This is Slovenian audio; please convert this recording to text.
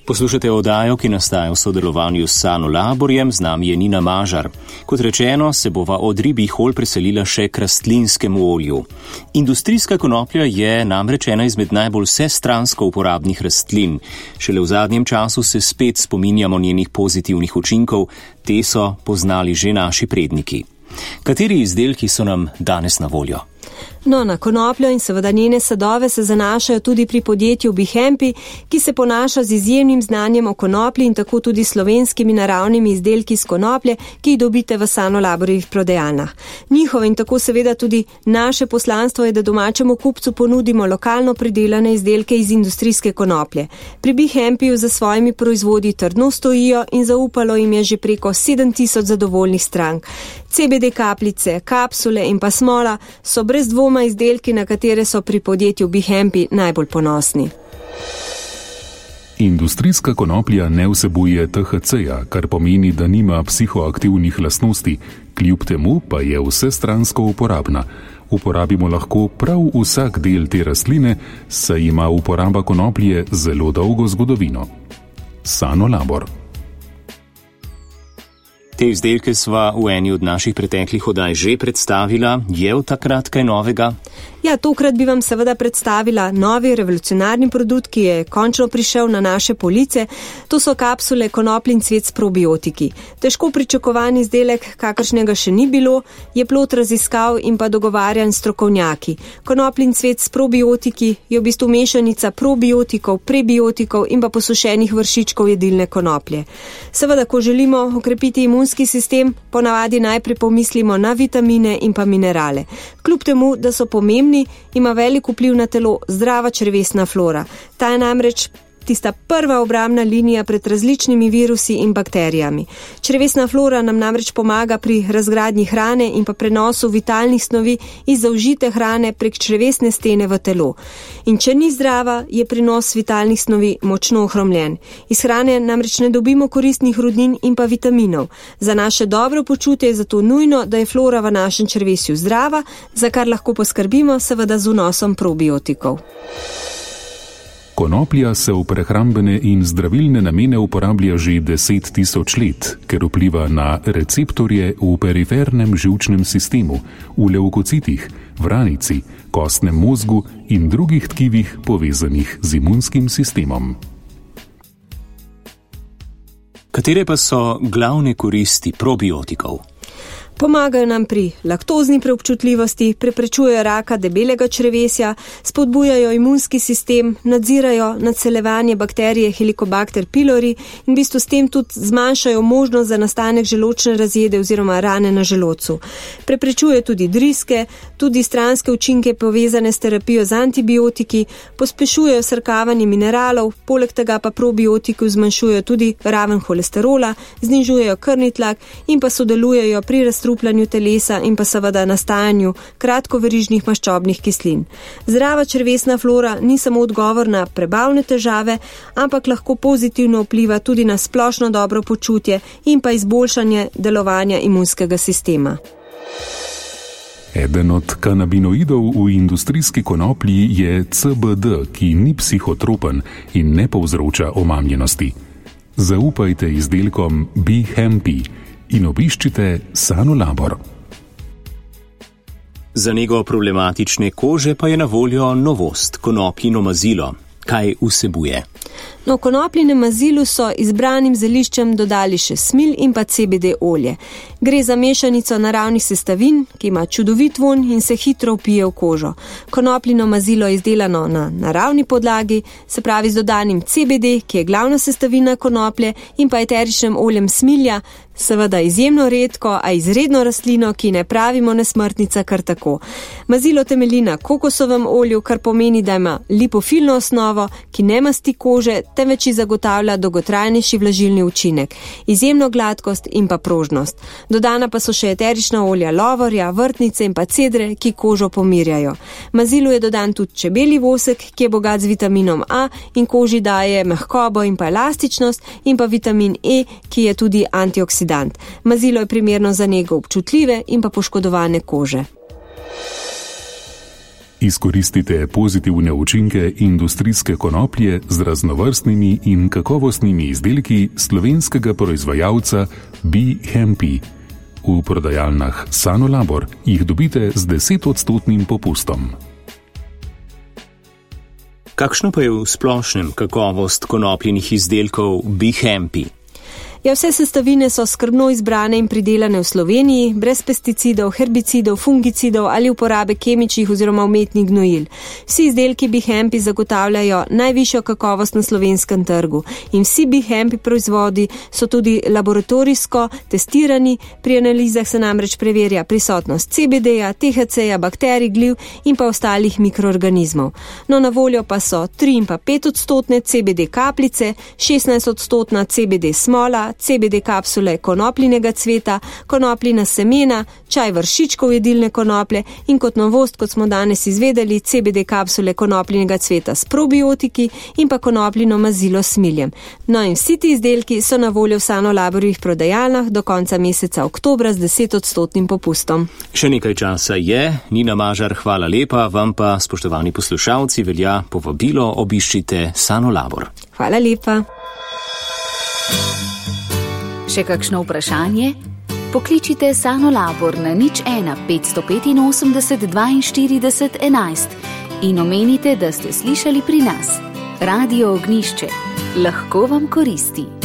Poslušate oddajo, ki nastaja v sodelovanju s Sanolaborjem, z nami je Nina Mažar. Kot rečeno, se bova od ribjih olj preselila še k rastlinskemu olju. Industrijska konoplja je namreč ena izmed najbolj vsestransko uporabnih rastlin. Šele v zadnjem času se spet spominjamo njenih pozitivnih učinkov, te so poznali že naši predniki. Kateri izdelki so nam danes na voljo? No, na konopljo in seveda njene sadove se zanašajo tudi pri podjetju Bihempi, ki se ponaša z izjemnim znanjem o konoplji in tako tudi slovenskimi naravnimi izdelki iz konoplje, ki jih dobite v Sanolaborjevih prodajalnah. Njihovo in tako seveda tudi naše poslanstvo je, da domačemu kupcu ponudimo lokalno pridelane izdelke iz industrijske konoplje. Pri Bihempiju za svojimi proizvodi trdno stojijo in zaupalo jim je že preko 7000 zadovoljnih strank. CBD kapljice, kapsule in pa smola so brez dvoma izdelki, na katere so pri podjetju Bihempi najbolj ponosni. Industrijska konoplja ne vsebuje THC-ja, kar pomeni, da nima psihoaktivnih lastnosti, kljub temu pa je vsestransko uporabna. Uporabimo lahko prav vsak del te rastline, saj ima uporaba konoplje zelo dolgo zgodovino. Sanolabor. Te izdelke sva v eni od naših preteklih oddaj že predstavila. Je v takrat kaj novega? Ja, tokrat bi vam seveda predstavila novi revolucionarni produkt, ki je končno prišel na naše police. To so kapsule Konopljin cvet s probiotiki. Težko pričakovan izdelek, kakršnega še ni bilo, je plod raziskav in pa dogovarjanj strokovnjaki. Konopljin cvet s probiotiki je v bistvu mešanica probiotikov, prebiotikov in pa posušenih vršičkov jedilne konoplje. Seveda, ko želimo okrepiti imunski sistem, ponavadi najprej pomislimo na vitamine in pa minerale. Kljub temu, da so pomembni, ima velik vpliv na telo zdrava črevesna flora. Ta je namreč tista prva obrambna linija pred različnimi virusi in bakterijami. Črevesna flora nam namreč pomaga pri razgradnji hrane in pa prenosu vitalnih snovi iz zaužite hrane prek črevesne stene v telo. In če ni zdrava, je prenos vitalnih snovi močno ohromljen. Iz hrane namreč ne dobimo koristnih rudnin in pa vitaminov. Za naše dobro počutje je zato nujno, da je flora v našem črevesju zdrava, za kar lahko poskrbimo seveda z vnosom probiotikov. Konoplja se v prehrambene in zdravilne namene uporablja že 10 000 let, ker vpliva na receptorje v perifernem živčnem sistemu, v levkocitih, vranici, kostnem mozgu in drugih tkivih povezanih z imunskim sistemom. Katere pa so glavne koristi probiotikov? Pomagajo nam pri laktozni preobčutljivosti, preprečujejo raka debelega črevesja, spodbujajo imunski sistem, nadzirajo naseljevanje bakterije Helicobacter pylori in v bistvu s tem tudi zmanjšajo možnost za nastanek želodčne razjede oziroma rane na želodcu. Preprečuje tudi driske, tudi stranske učinke povezane s terapijo z antibiotiki, pospešujejo srkavanje mineralov, poleg tega pa probiotiki zmanjšujejo tudi raven holesterola, znižujejo krvni tlak in pa sodelujejo pri razstrupljanju telesa in pa seveda nastajanju kratkoverižnih maščobnih kislin. Zdrava črevesna flora ni samo odgovor na prebavne težave, ampak lahko pozitivno vpliva tudi na splošno dobro počutje in pa izboljšanje delovanja imunskega sistema. Eden od kanabinoidov v industrijski konoplji je CBD, ki ni psihotropen in ne povzroča omamljenosti. Zaupajte izdelkom Bihempi in obiščite Sanolabor. Za nego problematične kože pa je na voljo novost, konopljino mazilo. Kaj vsebuje? No, konopljinem mazilu so izbranim zeliščem dodali še smilj in pa CBD olje. Gre za mešanico naravnih sestavin, ki ima čudovit vonj in se hitro vpije v kožo. Konopljino mazilo je izdelano na naravni podlagi, se pravi z dodanim CBD, ki je glavna sestavina konoplje, in pa eteričnim oljem smilja, seveda izjemno redko, a izredno rastlino, ki ne pravimo nesmrtnica kar tako. Mazilo temelji na kokosovem olju, kar pomeni, da ima lipofilno osnovo, ki ne masti kože, temveč zagotavlja dolgotrajnejši vlažilni učinek, izjemno gladkost in pa prožnost. Dodana pa so še eterična olja lovorja, vrtnice in pa cedre, ki kožo pomirjajo. Mazilu je dodan tudi čebelji vosek, ki je bogat z vitaminom A in koži daje mehkobo in pa elastičnost, in pa vitamin E, ki je tudi antioksidant. Mazilo je primerno za nego občutljive in pa poškodovane kože. Izkoristite pozitivne učinke industrijske konoplje z raznovrstnimi in kakovostnimi izdelki slovenskega proizvajalca Be Happy. V prodajalnah Sanolabor jih dobite z 10% popustom. Kakšno pa je v splošnem kakovost konopljenih izdelkov Be Happy? Ja, vse sestavine so skrbno izbrane in pridelane v Sloveniji, brez pesticidov, herbicidov, fungicidov ali uporabe kemičnih oziroma umetnih gnojil. Vsi izdelki Be Happy zagotavljajo najvišjo kakovost na slovenskem trgu in vsi Be Happy proizvodi so tudi laboratorijsko testirani, pri analizah se namreč preverja prisotnost CBD-ja, THC-ja, bakterij, gliv in pa ostalih mikroorganizmov. No, na voljo pa so 3 in pa 5% CBD kapljice, 16% CBD smola, CBD kapsule konopljinega cveta, konopljina semena, čaj vršičkov jedilne konoplje in kot novost, kot smo danes izvedeli, CBD kapsule konopljinega cveta s probiotiki in pa konopljino mazilo s miljem. No in vsi ti izdelki so na voljo v Sanolaborjevih prodajalnah do konca meseca oktobra z 10% popustom. Še nekaj časa je. Nina Mažar, hvala lepa, vam pa, spoštovani poslušalci, velja povabilo, obiščite Sanolabor. Hvala lepa. Še kakšno vprašanje? Pokličite Sanolabor na 01 585 42 11 in omenite, da ste slišali pri nas. Radio Ognjišče. Lahko vam koristi.